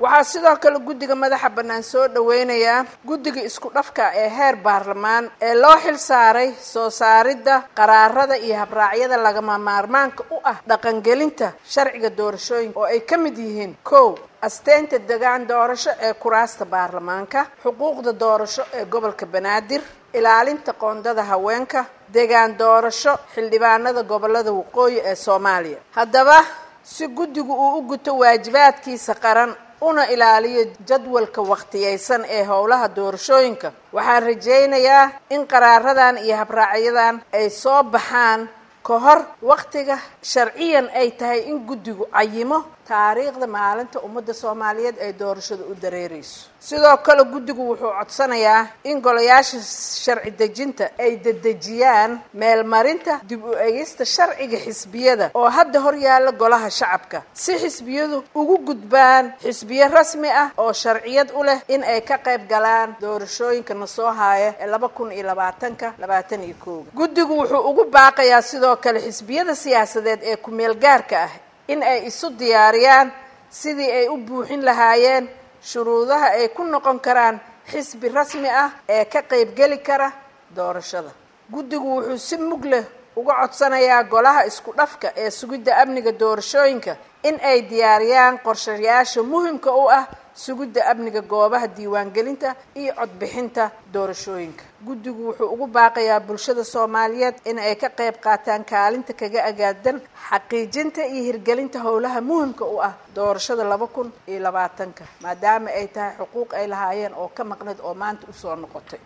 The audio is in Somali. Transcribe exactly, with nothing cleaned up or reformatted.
Waxaa sidoo kale guddiga madaxa bannaan soo dhaweynayaa guddiga isku dhafka ee heer baarlamaan ee loo xil saaray soo saaridda qaraarada iyo habraacyada lagama maarmaanka u ah dhaqangelinta sharciga doorashooyinka, oo ay ka mid yihiin: kow, asteynta degaan doorasho ee kuraasta baarlamaanka, xuquuqda doorasho ee gobolka Banaadir, ilaalinta qoondada haweenka, degaan doorasho xildhibaanada gobolada waqooyi ee Soomaaliya. Haddaba, si guddigu uu u guto waajibaadkiisa qaran una ilaaliyo jadwalka wakhtiyeysan ee howlaha doorashooyinka, waxaan rajaynayaa in qaraaradan iyo habraacyadan ay soo baxaan ka hor wakhtiga sharciyan ay tahay in guddigu cayimo taariikhda maalinta ummadda Soomaaliyeed ay doorashada u dareereyso. Sidoo kale guddigu wuxuu codsanayaa in golayaasha sharci dejinta ay dedejiyaan meelmarinta dib u egista sharciga xisbiyada oo hadda hor yaalla golaha shacabka, si xisbiyadu ugu gudbaan xisbiyo rasmi ah oo sharciyad u leh in ay ka qayb galaan doorashooyinka na soo haaya ee laba kun iyo labaatanka labaatan iyo kooga. Guddigu wuxuu ugu baaqayaa sidoo kale xisbiyada siyaasadeed ee ku-meel gaarka ah in ay isu diyaariyaan sidii ay u buuxin lahaayeen shuruudaha ay ku noqon karaan xisbi rasmi ah ee ka qaybgeli kara doorashada. Guddigu wuxuu si mug leh uga codsanayaa golaha isku dhafka ee sugidda amniga doorashooyinka in ay diyaariyaan qorshayaasha muhimka u ah sugidda amniga goobaha diiwaangelinta iyo codbixinta doorashooyinka. Guddigu wuxuu ugu baaqayaa bulshada Soomaaliyeed in ay ka qayb qaataan kaalinta kaga agaadan xaqiijinta iyo hirgelinta howlaha muhimka u ah doorashada laba kun iyo labaatanka, maadaama ay tahay xuquuq ay lahaayeen oo ka maqnayd oo maanta usoo noqotay.